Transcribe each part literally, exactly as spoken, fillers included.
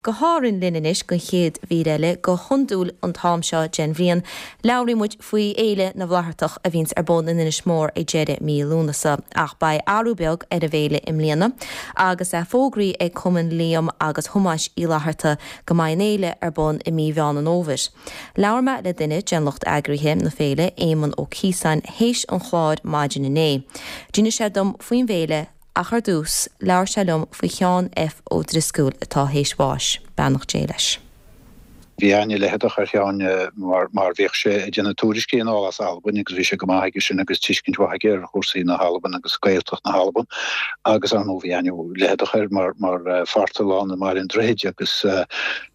Go hÁrainn linn anois don chéad mhír eile. Go hiondúil an t-am seo den bhliain, labhraíonn muid faoi Fhéile na bhFlaitheartach a bhíonns ar bun in Inis Mór ag deireadh mí Lúnasa. Ach beidh athrú beag ar an bhféile i mbliana agus é fógraithe ag Cumann Liam agus Thomáis Uí Fhlatharta go mbeidh an fhéile ar bun i mí Mheán an Fhómhair. Labhair mé le duine den lucht eagraithe na féile, Éamonn Ó Ciosáin, théis an chláir maidin inné. D'inis sé dom faoin bhféile ach ar dtús, labhair sé liom faoi Sheán F. Ó Drisceoil atá théis bháis. Beannacht Dé leis. Bhí aithne leitheadach ar Sheán mar mar bhíodh sé ag déanamh tuairiscí anall as Albain agus bhí sé go maith aige sin agus tuiscint mhaith aige ar chúrsaí na hAlban agus Gaeltacht na hAlban agus ar ndóigh bhí aithne leitheadach air mar mar phartalán i mBaile an Droichid agus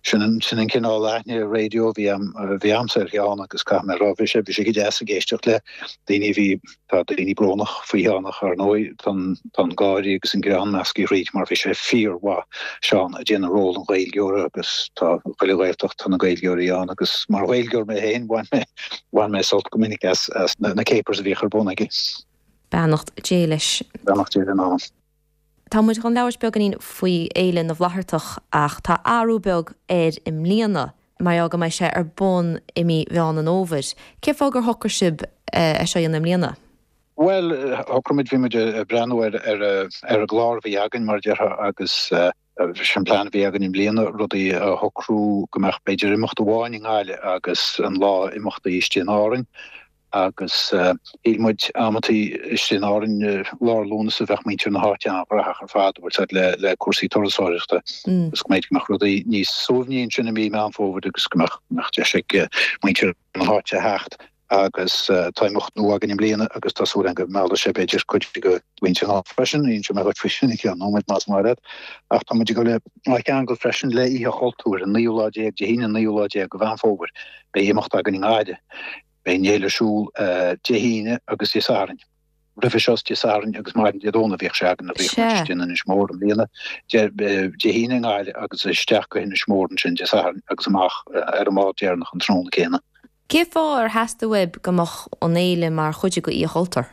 sin an sin an cineál aithne raidió a bhí a bhí a'msa ar Sheán agus caithfidh mé a rá bhí sé bhí sé go deas ag éisteacht le daoine a bhí Tá daoine brónach faoi Sheán ach ar ndóigh tá an gáire agus an greann measctha thríd mar bhí sé fíormhaith, Seán, ag déanamh ról an Ghaeilgeora agus tá chuile Ghaeltacht tá na Gaeilgeoirí ann agus mar Ghaeilgeoir mé féin bhain mé bhain mé sult go minic as as na capers a bhíodh ar bun aige. Beannacht Dé leis. Beannacht Dé lena anam. Tá muid chun labhairt beagáinín faoi Fhéile na bhFlaitheartach ach tá athrú beag air i mbliana mar gheall go mbeidh sé ar bun i mí Mheán an Fhómhair. Cén fáth gur shocraigh sibh é seo a dhéanamh i mbliana? Bhuel, shocraigh muid, bhí muid ag breathnú ar ar ar an gclár a bhí againn mar a déarfá agus sin an plean a bhí againn i mbliana, rudaí a shocrú go mbeadh b'fhéidir imeacht amháin i nGaillimh agus an lá imeachtaí istigh in Árainn. Agus shíl muid amantaí istigh in Árainn lár Lúnasa bheadh muintir na háite an-ghnaitheach ar fad, bhfuil 's a'd, le le cúrsaí turasóireachta agus go mb'fhéidir go mbeadh rudaí níos suaimhní ansin i mí Meán Fómhair agus go mbeadh mbeadh deis ag muintir na háite a theacht. Agus tá imeacht nua againn i mbliana agus tá súil againn go meallfaidh sé b'fhéidir cuid de mhuintir na háite freisin, inseoidh mé dhuit faoi sin i gceann nóiméid más maith leat. Ach tá muid ag dul á cheangal freisin le Oíche Chultúir, an naoú lá déag, Dé hAoine an naoú lá déag de Mheán Fómhair. Beidh imeacht againn i nGaillimh. Beidh an fhéile ar siúl Dé hAoine agus Dé Sathairn. Roimhe seo is Dé Sathairn agus maidin Dé Domhnaigh a bhíodh sé againn, bhíodh muid istigh in Inis Mór i mbliana, Dé hAoine i nGaillimh agus isteach go hInis Mór ansin Dé Sathairn agus amach ar an mbád deireanach an tráthnóna céanna. Cén fáth ar theastaigh uaibh go mbeadh an fhéile mar chuid de Oíche Chultúir?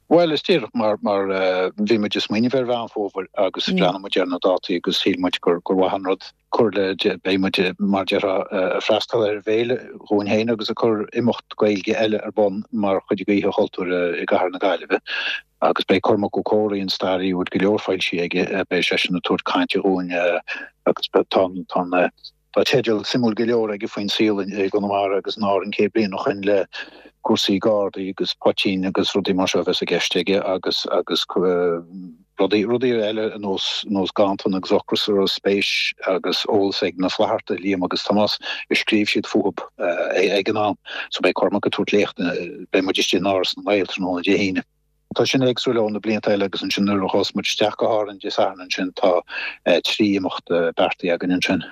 Bhuel, is díreach mar mar bhí muid ag smaoineamh ar Mheán Fómhair agus bhreathnaigh muid ar na dátaí agus shíl muid gur gur mhaith an rud cur le, beidh muid mar déarfá ag freastal ar an bhféile dhúinn féin agus ag cur imeacht Gaeilge eile ar bun mar chuid de Oíche Chultúir i gcathair na Gaillimhe agus beidh Cormac Ó Comhraí, an staraí a bhfuil go leor foilsithe aige, beidh seisean ag tabhairt cainte dhúinn agus tá tá an Tá teideal suimiúil go leor aige faoin saol i gConamara agus in Árainn céad bliain ó shoin le cúrsaí gardaí agus poitín agus rudaí mar seo a bheas i gceist aige agus agus rudaí rudaí eile ar nós nós ganntan agus ocras a raibh spéis agus eolas ag na Flathartaigh, Liam agus Tomás, a scríobh siad fúthu ag an am. So beidh Cormac ag tabhairt léacht, beidh muid istigh in Áras na nGael tráthnóna Dé hAoine. Tá sin éagsúil ó na blianta eile agus ansin nuair a ghabhfas muid isteach go hÁrainn Dé Sathairn ansin tá trí imeacht beartaithe againn ansin.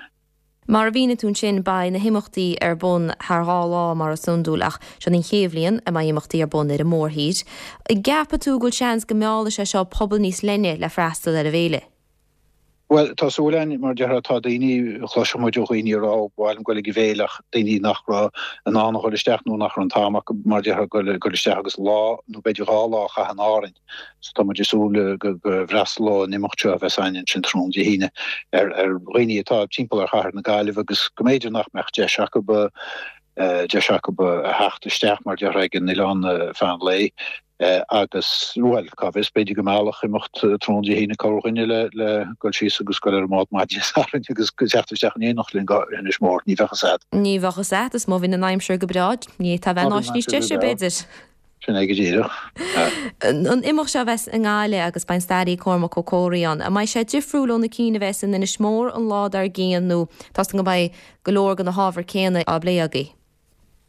Mar a mhínigh tú ansin, beidh na himeachtaí ar bun thar dhá lá mar is iondúil ach seo an chéad bhliain a mbeidh imeachtaí ar bun ar an mórthír. An gceapann tú go bhfuil seans go meallfaidh sé seo pobal níos leithne le freastal ar an bhféile? Bhuel, tá súil againn, mar déarfá, tá daoine, chloiseann muid ó dhaoine a rá, ba mhaith liom goil ag an bhféile ach daoine nach raibh in ann a dhul isteach nó nach raibh an t-am acu, mar déarfá, goil isteach agus lá nó b'fhéidir dhá lá a chaitheamh in Árainn. So tá muid ag súil go bhfreastalóidh an imeacht seo a bheas againn ansin tráthnóna Dé hAoine ar ar dhaoine atá timpeall ar chathair na Gaillimhe agus go mb'fhéidir nach mbeadh deis acu deis acu a theacht isteach mar déarfá ag an oileán feadh an lae agus bhuel cá bhfios b'fhéidir go meallfadh imeacht tráthnóna Dé hAoine corrdhuine le le dul síos agus dul ar an mbád maidin Dé Sathairn agus teacht isteach in éineacht linn go Inis Mór. Ní bheadh fhios a'd. Ní bheadh fhios a'd is má bhíonn an aimsir go breá ní fhéadfá bheith in áit níos deise b'fhéidir. Sin é go díreach. An imeacht seo a bheas i nGaillimh agus beidh an staraí Cormac Ó Comhraí ann, an mbeidh sé difriúil ó na cinn a bheas in Inis Mór an lá dár gcionn nó tá's agam go mbeidh go leor de na hábhair céanna á bplé agaibh?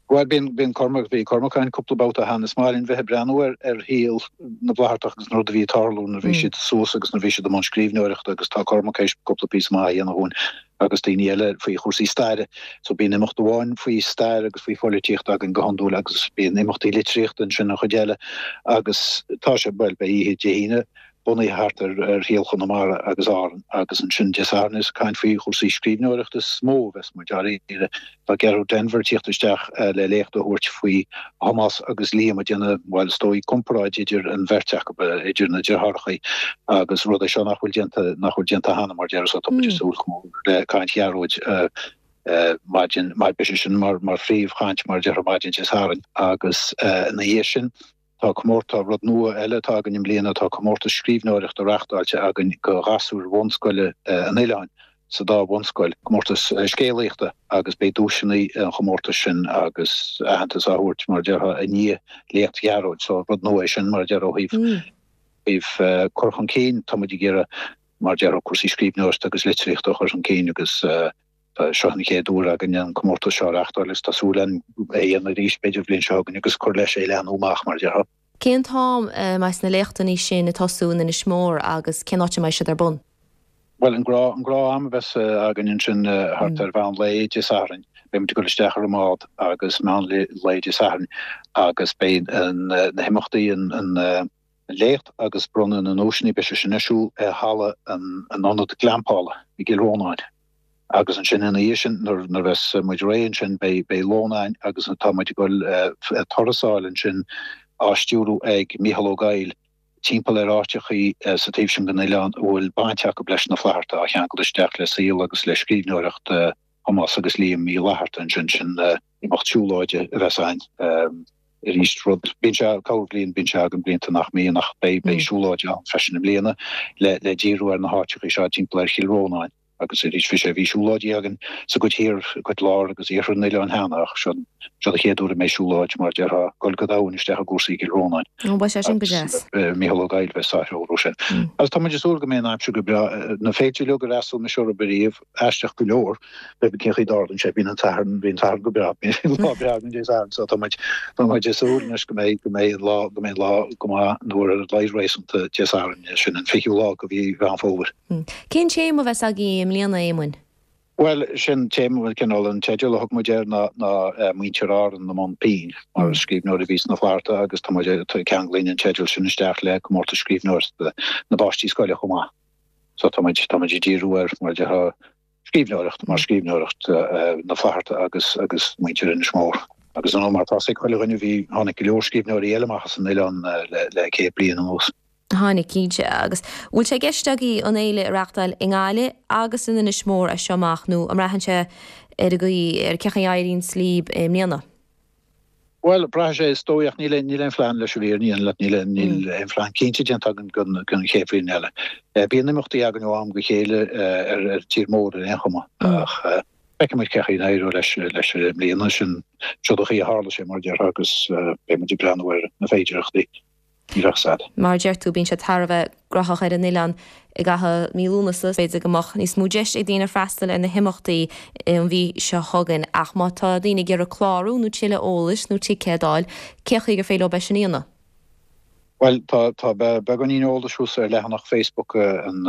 Bhuel, bíonn, bíonn Cormac, bhí Cormac ann cúpla babhta cheana. Is maith linn bheith ag breathnú ar, ar shaol na bhFlaitheartach agus na rudaí a bhí ag tarlú nuair a bhí siad suas agus nuair a bhí siad i mbun scríbhneoireachta agus tá Cormac théis cúpla píosa maith a dhéanamh dhúinn. agus daoine eile faoi chúrsaí staire. So bíonn imeacht amháin faoi stair agus faoi pholaitíocht againn go hiondúil agus bíonn imeachtaí litríochta ansin an chuid eile agus tá sé, bhuel, beidh oíche Dé hAoine bunaithe thart ar ar shaol Chonamara agus Árann agus ansin Dé Sathairn is caint faoi chúrsaí scríbhneoireachta is mó a bheas muid dáiríre. Tá Gearóid Denvir ag tíocht isteach le léacht a thabhairt faoi Thomás agus Liam ag déanamh, bhuel is dóigh, comparáid idir an bheirt acu, idir na deartháireacha agus rud é seo nach bhfuil déanta, nach bhfuil déanta cheana mar déarfá so tá muid ag súil go mór le caint Ghearóid maidin, beidh sé sin mar mar phríomhchaint mar a déarfá maidin Dé Sathairn agus ina dhiaidh sin tá comórtas, tá rud nua eile atá againn i mbliana, tá comórtas scríbhneoireachta reachtáilte againn go ghasúir bhunscoile an oileáin sa dá bhunscoil, comórtas scéalaíochta agus beidh duaiseanna an chomórtais sin agus aitheantas á thabhairt mar a déarfá i ndiaidh léacht Ghearóid. So rud nua é sin mar a déarfá ó thaobh thaobh cur chun cinn, tá muid ag iarraidh mar a déarfá cúrsaí scríbhneoireachta agus litríochta a chur chun cinn agus seo an chéad uair againn an comórtas seo a reachtáil agus tá súil againn é a dhéanamh arís b'fhéidir an bhliain seo chugainn agus cur leis é a leathnú amach mar a déarfá. Cén t-am a mbeidh na léachtanna sin ag tosú in Inis Mór agus cén áit a mbeidh siad ar bun? Bhuel, an gnáth, an gnáth am a bheas againn ansin thart ar mheán lae Dé Sathairn. Beidh muid ag dul isteach ar an mbád agus meán lae Dé Sathairn agus beidh na himeachtaí, an, an, an léacht agus bronnadh na nduaiseanna, beidh sé sin ar siúl i halla an ionad glampála i gCill Rónáin. Agus ansin ina dhiaidh sin, nuair a bheas muid réidh ansin, beidh lón againn agus tá muid ag dul turas a fháil ansin á stiúrú ag Mícheál Ó Gabhaill timpeall ar áiteachaí sa taobh sin den oileán a bhfuil baint acu leis na Flathartaigh á cheangal isteach le saol agus le scríbhneoireacht Thomáis agus Liam Uí Fhlatharta ansin. Sin imeacht siúlóide a bheas againn. Arís, rud, bíonn sé corrbhliain, bíonn sé againn blianta nach mbíonn ach beidh, beidh siúlóid ann freisin i mbliana le, le díriú ar na háiteachaí seo timpeall ar Chill Rónáin agus arís bhí sé, bhí siúlóidí againn sa gcuid thiar, cuid lár agus iarthar an oileáin cheana ach seo, seo an chéad uair a mbeidh siúlóid mar a déarfá, dul go domhain isteach i gcúrsaí Chill Rónáin. Ó, beidh sé sin go deas. Mícheál Ó Gabhaill a bheas á threorú sin. Agus tá muid ag súil go mbeidh an aimsir go breá, na féilte uilig ar fhreastail mise orthu ariamh, aisteach go leor, pé cén chaoi a dtarlaíonn sé, bíonn an Satharn, bíonn an Satharn go breá, bíonn lá breá againn Dé Sathairn, so tá muid, tá muid ag súil anois go mbeidh, go mbeidh an lá, go mbeidh an lá go maith nó ar a laghad réasúnta Dé Sathairn, sin an fichiú lá de mhí Mheán Fómhair. Cén téama a bheas agaibh i mbliana, a Éamoinn? Bhuel, sin téama, bhuel, cineál an teideal a thug muid air ná, ná Muintir Árann i mbun pinn, mar scríbhneoirí a bhí sna Flathartaigh agus tá muid, ceanglaíonn an teideal sin isteach le comórtas scríbhneoireachta na bpáistí scoile chomh maith. So tá muid, tá muid ag díriú ar, mar a déarfá, scríbhneoireacht, mar scríbhneoireacht na Flatharta agus, agus muintir Inis Mór. Agus ar ndóigh mar tá 'fhios ag chuile dhuine bhí, tháinig go leor scríbhneoirí eile amach as an oileán le, le céad bliain anuas. Tháinig, cinnte. Agus bhfuil sé i gceist agaibh an fhéile a reachtáil i nGaillimh agus in Inis Mór as seo amach nó an mbraitheann sé ar an gcaoi, ar cén chaoi a éiríonn libh i mbliana? Bhuel, braithfidh sé, is dóigh, ach níl aon, níl aon phlean leis an bhfírinne a dhéanamh leat, níl aon, níl aon phlean cinnte déanta againn don, don chéad bhliain eile. Bíonn imeachtaí againn ó am go chéile ar, ar tír mór ar aon chuma, ach feicfidh muid cén chaoi a n-éireoidh leis, leis i mbliana. Sin, seo an chaoi a tharla sé, mar a déarfá, agus beidh muid ag breathnú ar na féidearthachtaí. Ní bheadh sad. Mar a deir tú, bíonn sé thar a bheith graitheach ar an oileán i gcaitheamh mí Lúnasa. B'fhéidir go mbeadh níos mó deis ag daoine freastal ar na himeachtaí an mhí seo chugainn. Ach má tá daoine ag iarraidh clárú nó tuilleadh eolais nó ticéad a fháil, cén chaoi gur féidir leo é sin a dhéanamh? Bhuel, tá tá beagáinín eolais thuas ar leathanach Facebook an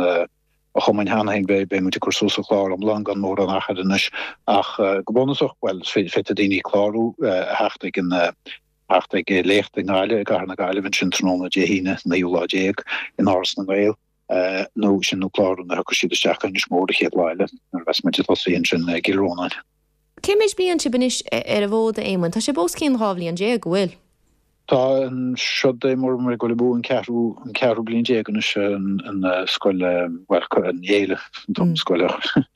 chumainn cheana féin. Beidh muid ag cur suas an clár iomlán gan mórán achair anois. Ach go bunúsach, bhuel, féadfaidh daoine clárú, a theacht ag an theacht ag léacht i nGaillimh, i gcathair na Gaillimhe ansin tráthnóna Dé hAoine, naoú lá déag, in Áras na nGael, nó sin nó clárú nuair a thiocfaidh siad isteach go Inis Mór an chéad lá eile, nuair a bheas muid ag tosaí ansin i gCill Rónáin. Cé méid bliain sibh anois ar an bhfód, a Éamoinn? Tá sibh os cionn dhá bhliain déag, an bhfuil? Tá an seod é mar ag dul amú an ceathrú an ceathrú bliain déag anois an an scoil bhuel an fhéile an scoil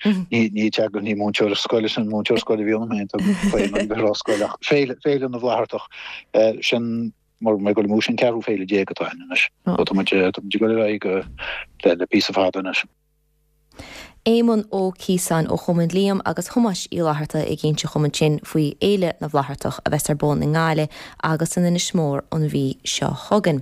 ní ní teagasc ní múinteoir scoile sin múinteoir scoile a bhí ionam féin tá faoi an bheith rá scoil ach féile féile na bhFlaitheartach sin mar ag dul amú sin ceathrú féile déag atá ann anois. Tá muid tá muid ag dul ar aghaidh go le le píosa fada anois. Éamonn Ó Ciosáin ó Chumann Liam agus Thomáis Uí Fhlatharta ag inse dhom ansin faoi Fhéile na bhFlaitheartach a bheas ar bun i nGaillimh agus in Inis Mór an mhí seo chugainn.